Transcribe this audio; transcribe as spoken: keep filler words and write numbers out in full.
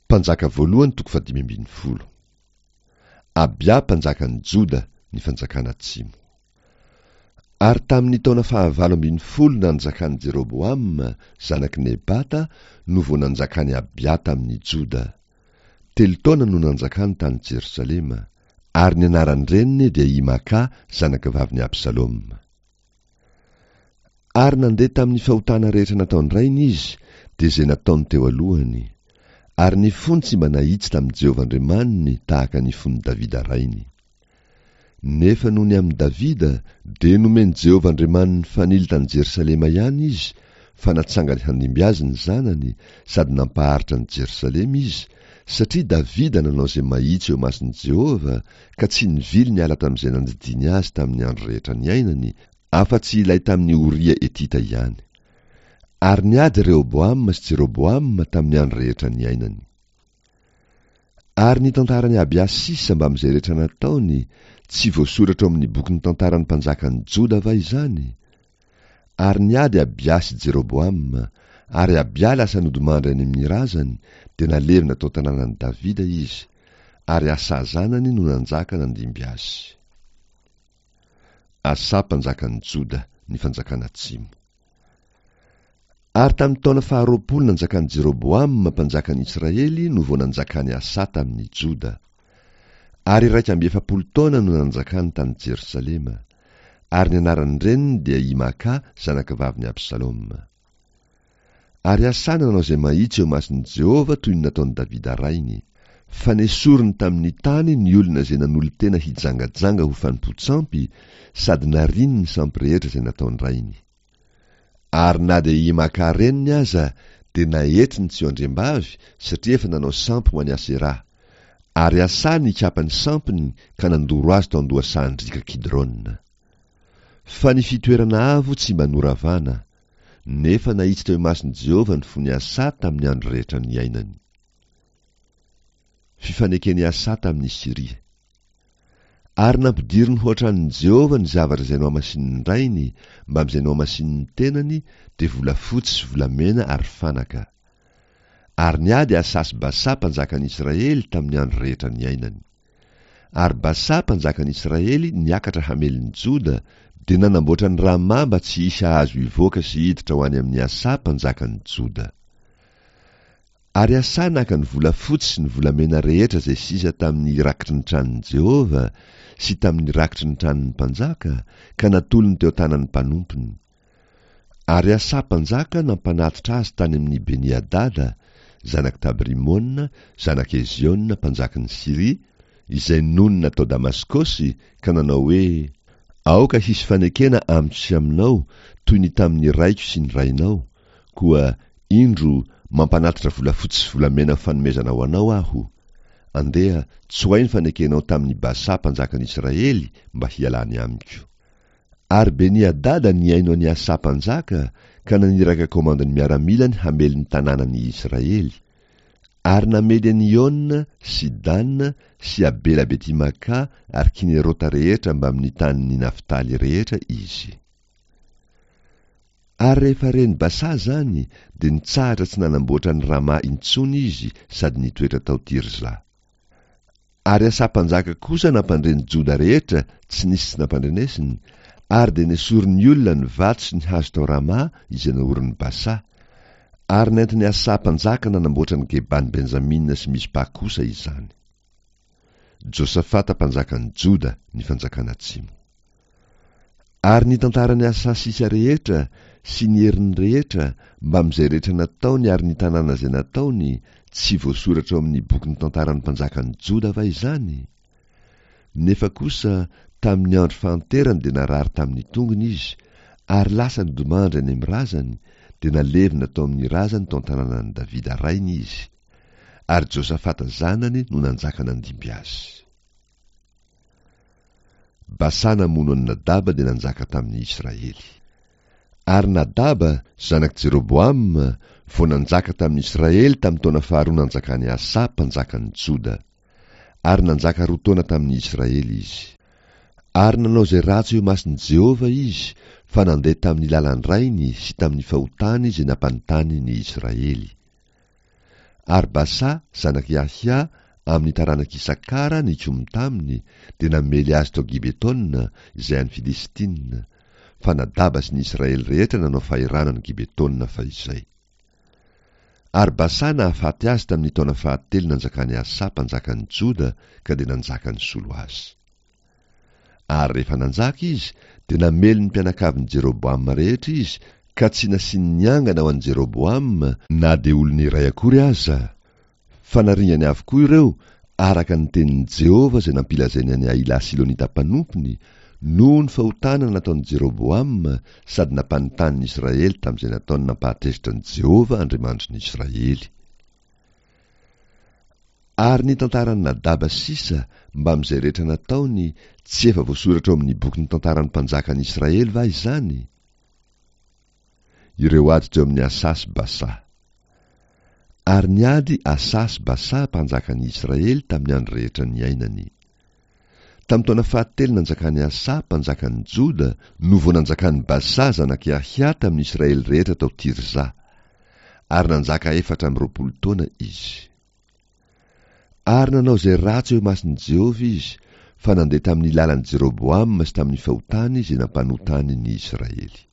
Mpanjaka voalohany toko fahadimy ambin'ny folo. Abia mpanjakan'ny Joda, ny fanjakana atsimo. Ary tamin'ny taona fahavalo ambin'ny folo nanjakan'i Jeroboama, zanak'i Nebata, no vao nanjakan'i Abia tamin'ny Joda. Telo taona no nanjakany tany Jerosalema, ary ny anaran-dreniny dia i Maka, zanakavavin'i Absaloma. Ary nandeha tamin'ny fahotana rehetra nataon-drainy izy, dia izay nataony teo alohany. Ary ny fony tsy mba nahitsy tamin'i Jehovah Andriamaniny tahaka ny fon'i Davida rainy. Nefa noho ny amin'i Davida, dia nomen'i Jehovah Andriamaniny fanilo tany Jerosalema ihany izy, fa natsangany handimby azy ny zanany, sady nampaharitra an'i Jerosalema izy, satria Davida nanao izay mahitsy eo imason'i Jehovah, ka tsy nivily niala tamin'izay nandidiany azy tamin'ny andro rehetra niainany, afa-tsy ilay tamin'i Oria Hetita ihany. Ary niady Rehoboama sy Jeroboama tamin'ny andro rehetra niainany. Ary ny tantaran'i Abia sisa mbamin'izay rehetra nataony, tsy voasoratra ao amin'ny bokin'ny tantaran'ny mpanjakan'ny Joda va izany? Ary niady Abia sy Jeroboama, ary Abia lasa nodimandry any amin'ny razany, dia nalevina tao an-tanànan'i Davida izy, ary Asa zanany no nanjaka nandimby azy. Asa mpanjakan'ny Joda, ny fanjakana atsimo. Ary tamin'ny taona faharoapolo nanjakan'i Jeroboama mpanjakan'ny Israely no vao nanjakan'i Asa tamin'ny Joda. Ary iraika amby efapolo taona no nanjakany tany Jerosalema. Ary ny anaran-dreniny dia i Maka, zanakavavin'i Absaloma. Ary Asa nanao izay mahitsy eo imason'i Jehovah toy ny nataon'i Davida rainy. Fa nesoriny tamin'ny tany ny olona izay nanolo-tena hijangajanga ho fanompoan-tsampy, sady nariany ny sampy rehetra izay nataon-drainy. Ary na dia i Maka reniny aza dia naetriny tsy ho andriambavy, satria efa nanao sampy ho an'i Aseraha. Ary Asa nikapa ny sampiny ka nandoro azy tao an-dohasahan-driaka Kidrona. Fa ny fitoerana avo tsy mba noravana, nefa nahitsy teo imason'i Jehovah ny fon'i Asa tamin'ny andro rehetra niainany. Fifaneken'i Asa tamin'i Syria. Ary nampidiriny ho an-tranon'i Jehovah ny zavatra izay nohamasinin'ny rainy mbamin'izay nohamasinin'ny tenany, dia volafotsy sy volamena ary fanaka. Ary niady Asa sy Basa mpanjakan'ny Israely tamin'ny andro rehetra niainany. Ary Basa mpanjakan'ny Israely niakatra hamely ny Joda, dia nanamboatra ny Rama mba tsy hisy hahazo hivoaka sy hiditra ho any amin'i Asa mpanjakan'ny Joda. Ary Asa naka ny volafotsy sy ny volamena rehetra izay sisa tamin'ny rakitry ny tranon'i Jehovah sy tamin'ny rakitry ny tranon'ny mpanjaka, ka natolony teo an-tanan'ny mpanompony. Ary Asa mpanjaka nampanatitra azy tany amin'i Beni-Hadada, zanak'i Tabrimona, zanak'i Eziona mpanjakan'i Syria, izay nonina tao Damaskosy, ka nanao hoe: Aoka hisy fanekena amiko sy aminao, toy ny tamin'ny raiko sy ny rainao, koa indro mampanatitra volafotsy sy volamena ho fanomezana ho anao aho. Andeha, tsoahy ny fanekenao tamin'i Basa mpanjakan'i Israely mba hialany amiko. Ary Beni-Hadada nihaino an'i Asa mpanjaka ka naniraka komandin'ny miaramilany hamely ny tanànan'i Israely. Ary namely an'i Iona sy Dana sy Abela Betimaka ary Kinerota rehetra mbamin'ny tanin'ny Naftaly rehetra izy. Ary rehefa ren'i Basa izany, dia nitsahatra tsy nanamboatra an'i Rama intsony izy sady nitoetra tao Tirza. Ary Asa mpanjaka kosa nampandre ny Joda rehetra tsy nisy tsy nampandrenesiny, ary dia nesorin'ny olona ny vato sy ny hazo tao Rama izay naorin'i Basa. Ary nentin'i Asa mpanjaka nanamboatra ny Geban'i Benjamina sy Mizpa kosa izany. Josafata mpanjakan'ny Joda, ny fanjakana atsimo. Ary ny tantaran'i Asa sisa rehetra sy ny heriny rehetra mbamin'izay rehetra nataony ary ny tanàna izay nataony, tsy voasoratra ao amin'ny bokin'ny tantaran'ny mpanjakan'ny Joda va izany? Nefa kosa tamin'ny andro fahanterany dia narary tamin'ny tongony izy, ary lasa nodimandry any amin'ny razany, dia nalevina tao amin'ny razany tao an-tanànan'i Davida rainy izy. Ary Josafata zanany no nanjaka nandimby azy. Basa namono an'i Nadaba dia nanjaka tamin'ny Israely. Ary Nadaba, zanak'i Jeroboama, vao nanjaka tamin'ny Israely tamin'ny taona faharoa nanjakan'i Asa mpanjakan'ny Joda. Ary nanjaka roa taona tamin'ny Israely izy. Ary nanao izay ratsy eo imason'i Jehovah izy, fa nandeha tamin'ny lalan-drainy sy tamin'ny fahotany izay nampanontany ny Israely. Ary Basa, zanak'i Ahia, amin'ny taranak'Isakara, nikomy taminy, dia namely azy tao Gibetona, izay any Filistina, fa Nadaba sy ny Israely rehetra nanao fahirano an'i Gibetona fahizay. Ary Basa nahafaty azy tamin'ny taona fahatelo nanjakan'i Asa mpanjakan'ny Joda, ka dia nanjaka nisolo azy. Ary rehefa nanjaka izy, dia namely ny mpianakavin'i Jeroboama rehetra izy, ka tsy nasiany niangana ho an'i Jeroboama na dia olona iray akory aza, fa naringany avokoa ireo araka ny tenin'i Jehovah izay nampilazainy an'i Ahila Silonita mpanompony, noho ny fahotana nataon'i Jeroboama sady nampanontany ny Israely tamin'izay nataony nampahatezitra an'i Jehovah Andriamanitry ny Israely. Ary ny tantaran'i Nadaba sisa mbamin'izay rehetra nataony, tsy efa voasoratra ao amin'ny bokin'ny tantaran'ny mpanjakan'ny Israely va izany? Ireo ady teo amin'i Asa sy Basa. Ary niady Asa sy Basa mpanjakan'ny Israely tamin'ny andro rehetra niainany. Tamin'ny taona fahatelo nanjakan'i Asa mpanjakan'ny Joda no vao nanjakan'i Basa zanak'i Ahia tamin'ny Israely rehetra tao Tirza. Ary nanjaka efatra amby roapolo taona izy. Ary nanao izay ratsy eo imason'i Jehovah izy, fa nandeha tamin'ny lalan'i Jeroboama sy tamin'ny fahotany izay nampanotany ny Israely.